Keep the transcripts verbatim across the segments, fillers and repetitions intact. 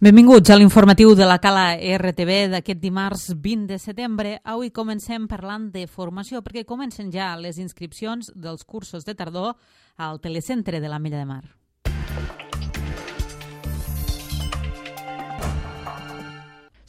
Benvinguts a l'informatiu de la Cala R T V d'aquest dimarts vint de setembre. Avui comencem parlant de formació perquè comencen ja les inscripcions dels cursos de tardor al Telecentre de l'Ametlla de Mar.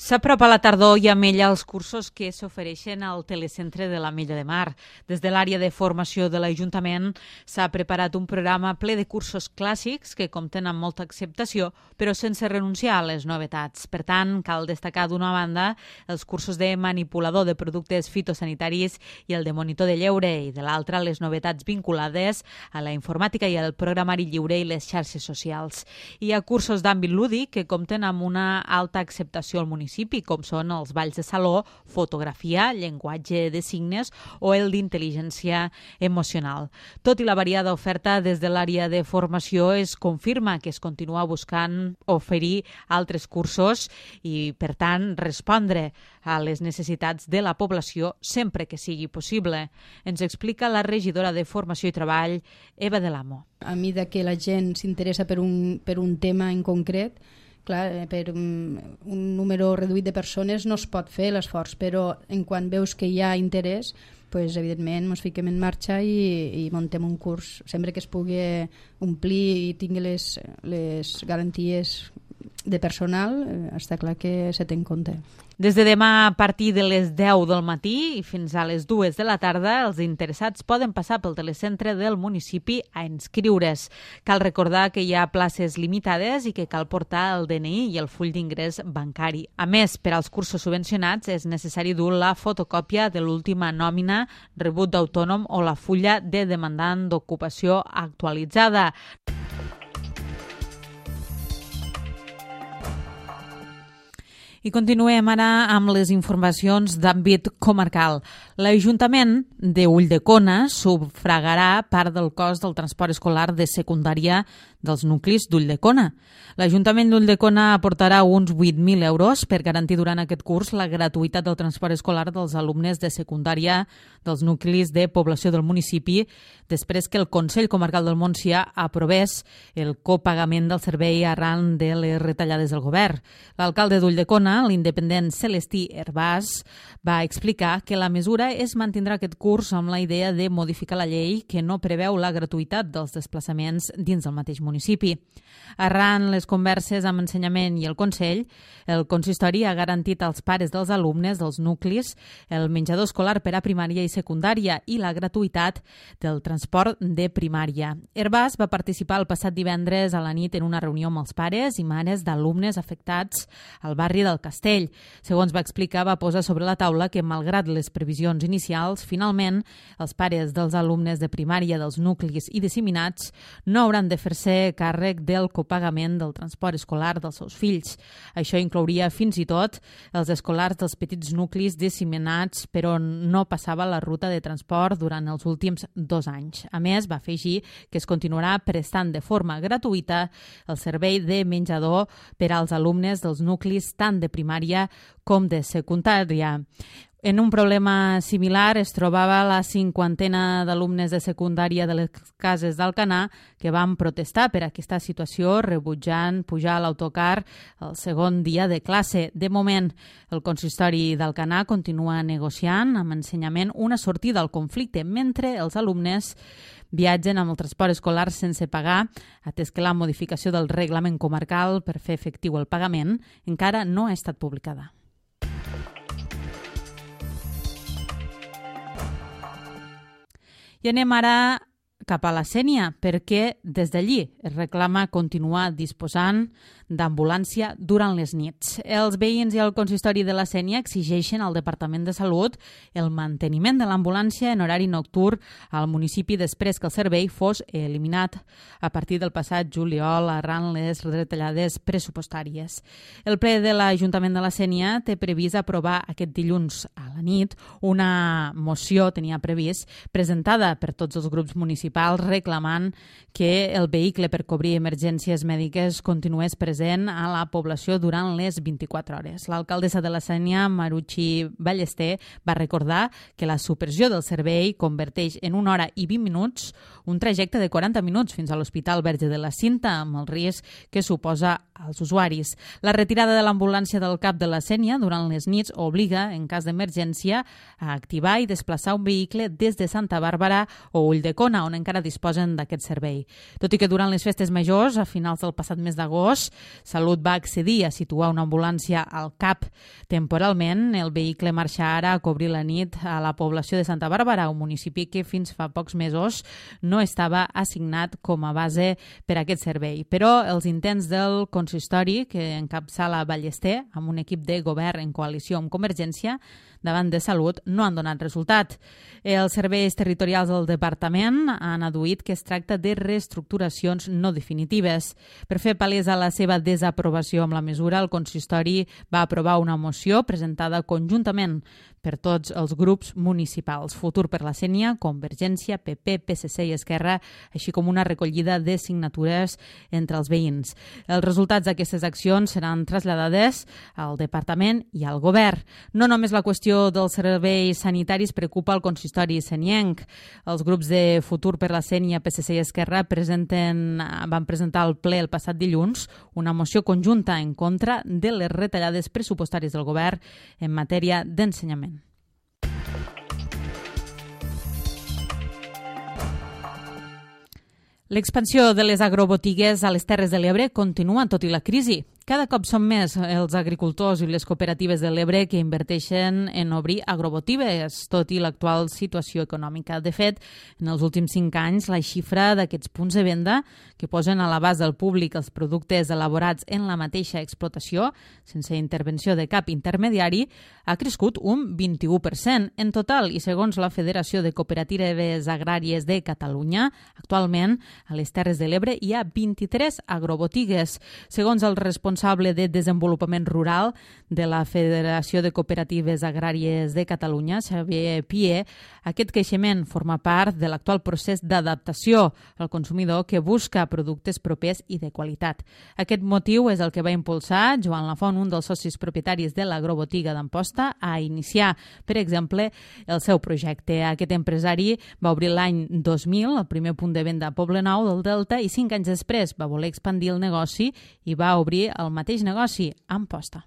S'apropa la tardor i amb ella els cursos que s'ofereixen al Telecentre de l'Ametlla de Mar. Des de l'àrea de formació de l'Ajuntament s'ha preparat un programa ple de cursos clàssics que compten amb molta acceptació, però sense renunciar a les novetats. Per tant, cal destacar d'una banda els cursos de manipulador de productes fitosanitaris i el de monitor de lleure, i de l'altra les novetats vinculades a la informàtica i al programari lliure i les xarxes socials. Hi ha cursos d'àmbit lúdic que compten amb una alta acceptació al municipi, com són els balls de saló, fotografia, llenguatge de signes o el d'intel·ligència emocional. Tot i la variada oferta, des de l'àrea de formació es confirma que es continua buscant oferir altres cursos i, per tant, respondre a les necessitats de la població sempre que sigui possible. Ens explica la regidora de Formació i Treball, Eva de l'Amo. A mesura que la gent s'interessa per un, per un tema en concret, clar, per un, un número reduït de persones no es pot fer l'esforç, però en quan veus que hi ha interès, pues, evidentment ens fiquem en marxa i, i muntem un curs sempre que es pugui omplir i tingui les, les garanties de personal, eh, està clar que se té en compte. Des de demà a partir de les deu del matí i fins a les dues de la tarda, els interessats poden passar pel telecentre del municipi a inscriure's. Cal recordar que hi ha places limitades i que cal portar el D N I i el full d'ingrés bancari. A més, per als cursos subvencionats és necessari dur la fotocòpia de l'última nòmina, rebut d'autònom o la fulla de demandant d'ocupació actualitzada. I continuem ara amb les informacions d'àmbit comarcal. L'Ajuntament de Ulldecona sufragarà part del cost del transport escolar de secundària dels nuclis d'Ulldecona. L'Ajuntament d'Ulldecona aportarà uns vuit mil euros per garantir durant aquest curs la gratuïtat del transport escolar dels alumnes de secundària dels nuclis de població del municipi, després que el Consell Comarcal del Montsià aprovés el copagament del servei arran de les retallades del govern. L'alcalde d'Ulldecona, l'independent Celestí Hervàs, va explicar que la mesura es mantindrà aquest curs amb la idea de modificar la llei que no preveu la gratuïtat dels desplaçaments dins del mateix municipi. Arran les converses amb Ensenyament i el Consell, el consistori ha garantit als pares dels alumnes dels nuclis el menjador escolar per a primària i secundària i la gratuïtat del transport de primària. Hervàs va participar el passat divendres a la nit en una reunió amb els pares i mares d'alumnes afectats al barri del Castell. Segons va explicar, va posar sobre la taula que, malgrat les previsions inicials, finalment els pares dels alumnes de primària dels nuclis i disseminats no hauran de fer-se càrrec del copagament del transport escolar dels seus fills. Això inclouria fins i tot els escolars dels petits nuclis disseminats per on no passava la ruta de transport durant els últims dos anys. A més, va afegir que es continuarà prestant de forma gratuïta el servei de menjador per als alumnes dels nuclis tant de primària com de secundària. En un problema similar es trobava la cinquantena d'alumnes de secundària de les cases d'Alcanar que van protestar per aquesta situació, rebutjant pujar a l'autocar el segon dia de classe. De moment, el consistori d'Alcanar continua negociant amb Ensenyament una sortida al conflicte, mentre els alumnes viatgen amb el transport escolar sense pagar, atès que la modificació del reglament comarcal per fer efectiu el pagament encara no ha estat publicada. I anem ara cap a la Sénia, perquè des d'allí es reclama continuar disposant d'ambulància durant les nits. Els veïns i el consistori de la Sénia exigeixen al Departament de Salut el manteniment de l'ambulància en horari nocturn al municipi després que el servei fos eliminat a partir del passat juliol arran les retallades pressupostàries. El ple de l'Ajuntament de la Sénia té previst aprovar aquest dilluns a la nit una moció, tenia previst, presentada per tots els grups municipals reclamant que el vehicle per cobrir emergències mèdiques continués present a la població durant les vint-i-quatre hores. L'alcaldessa de la Sénia, Maruchi Ballester, va recordar que la supressió del servei converteix en una hora i vint minuts un trajecte de quaranta minuts fins a l'Hospital Verge de la Cinta, amb el risc que suposa als usuaris. La retirada de l'ambulància del cap de la Sénia durant les nits obliga, en cas d'emergència, a activar i desplaçar un vehicle des de Santa Bàrbara o Ulldecona, on encara disposen d'aquest servei. Tot i que durant les festes majors, a finals del passat mes d'agost, Salut va accedir a situar una ambulància al cap temporalment, el vehicle marxa ara a cobrir la nit a la població de Santa Bàrbara, un municipi que fins fa pocs mesos no estava assignat com a base per a aquest servei. Però els intents del consistori, que encapçala Ballester, amb un equip de govern en coalició amb Convergència, davant de Salut, no han donat resultat. Els serveis territorials del departament han adduït que es tracta de reestructuracions no definitives. Per fer palesa la seva desaprovació amb la mesura, el consistori va aprovar una moció presentada conjuntament per tots els grups municipals, Futur per la Sénia, Convergència, P P, P S C i Esquerra, així com una recollida de signatures entre els veïns. Els resultats d'aquestes accions seran traslladades al departament i al govern. No només la qüestió dels serveis sanitaris preocupa el consistori senienc. Els grups de Futur per la Sénia, P S C i Esquerra presenten, van presentar al ple el passat dilluns una moció conjunta en contra de les retallades pressupostàries del govern en matèria d'ensenyament. L'expansió de les agrobotigues a les Terres de l'Ebre continua tot i la crisi. Cada cop són més els agricultors i les cooperatives de l'Ebre que inverteixen en obrir agrobotigues, tot i l'actual situació econòmica. De fet, en els últims cinc anys, la xifra d'aquests punts de venda que posen a l'abast del públic els productes elaborats en la mateixa explotació, sense intervenció de cap intermediari, ha crescut un vint-i-u per cent en total i segons la Federació de Cooperatives Agràries de Catalunya, actualment a les Terres de l'Ebre hi ha vint-i-tres agrobotigues. Segons el responsable de Desenvolupament Rural de la Federació de Cooperatives Agràries de Catalunya, Xavier Pie, aquest creixement forma part de l'actual procés d'adaptació al consumidor que busca productes propers i de qualitat. Aquest motiu és el que va impulsar Joan Lafont, un dels socis propietaris de l'agrobotiga d'Amposta, a iniciar, per exemple, el seu projecte. Aquest empresari va obrir l'any dos mil, el primer punt de venda a Poblenou del Delta, i cinc anys després va voler expandir el negoci i va obrir el mateix negoci a Amposta.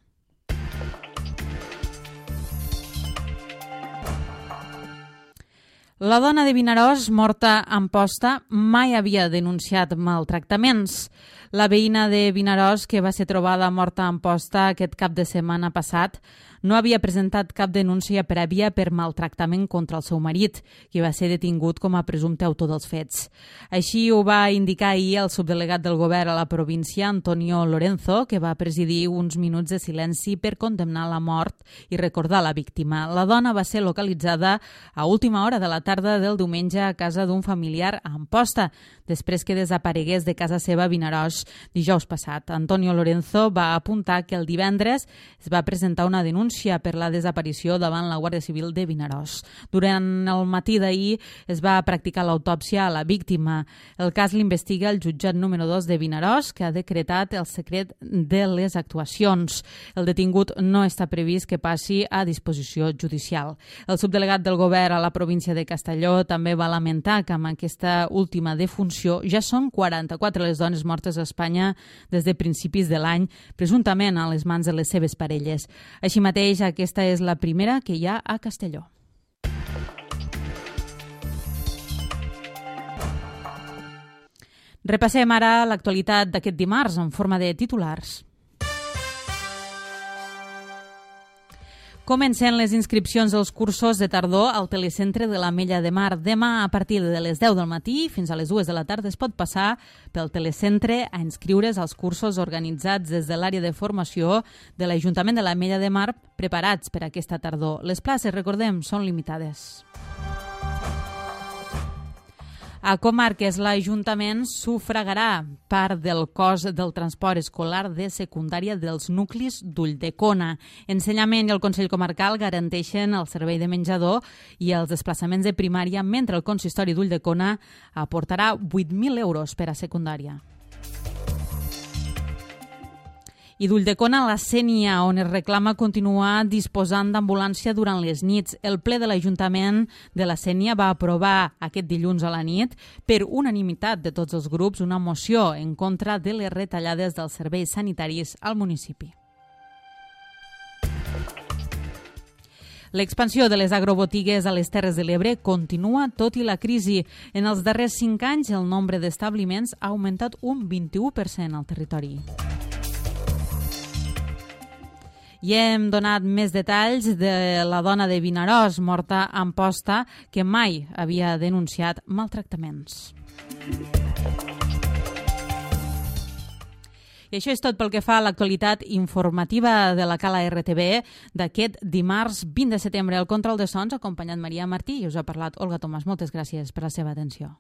La dona de Vinaròs, morta a Amposta, mai havia denunciat maltractaments. La veïna de Vinaròs, que va ser trobada morta a Amposta aquest cap de setmana passat, no havia presentat cap denúncia prèvia per maltractament contra el seu marit, qui va ser detingut com a presumpte autor dels fets. Així ho va indicar ahir el subdelegat del govern a la província, Antonio Lorenzo, que va presidir uns minuts de silenci per condemnar la mort i recordar la víctima. La dona va ser localitzada a última hora de la tarda del diumenge a casa d'un familiar a Amposta, després que desaparegués de casa seva a Vinaròs dijous passat. Antonio Lorenzo va apuntar que el divendres es va presentar una denúncia per la desaparició davant la Guàrdia Civil de Vinaròs. Durant el matí d'ahir es va practicar l'autòpsia a la víctima. El cas l'investiga el jutjat número dos de Vinaròs, que ha decretat el secret de les actuacions. El detingut no està previst que passi a disposició judicial. El subdelegat del govern a la província de Castelló també va lamentar que amb aquesta última defunció ja són quaranta-quatre les dones mortes a Espanya des de principis de l'any, presumptament a les mans de les seves parelles. Així mateix, aquesta és la primera que hi ha a Castelló. Repassem ara l'actualitat d'aquest dimarts en forma de titulars. Comencen les inscripcions dels cursos de tardor al telecentre de l'Ametlla de Mar. Demà, a partir de les deu del matí fins a les dues de la tarda, es pot passar pel telecentre a inscriure's als cursos organitzats des de l'àrea de formació de l'Ajuntament de l'Ametlla de Mar preparats per a aquesta tardor. Les places, recordem, són limitades. A Comarques, l'Ajuntament sufragarà part del cost del transport escolar de secundària dels nuclis d'Ulldecona. Ensenyament i el Consell Comarcal garanteixen el servei de menjador i els desplaçaments de primària, mentre el Consistori d'Ulldecona aportarà vuit mil euros per a secundària. I d'Ulldecona, la Sénia, on es reclama continuar disposant d'ambulància durant les nits. El ple de l'Ajuntament de la Sénia va aprovar aquest dilluns a la nit per unanimitat de tots els grups una moció en contra de les retallades dels serveis sanitaris al municipi. L'expansió de les agrobotigues a les Terres de l'Ebre continua tot i la crisi. En els darrers cinc anys, el nombre d'establiments ha augmentat un vint-i-u per cent al territori. I hem donat més detalls de la dona de Vinaròs, morta a Amposta, que mai havia denunciat maltractaments. I això és tot pel que fa a l'actualitat informativa de la Cala R T V d'aquest dimarts vint de setembre. El control de sons ha acompanyat Maria Martí i us ha parlat Olga Tomàs. Moltes gràcies per la seva atenció.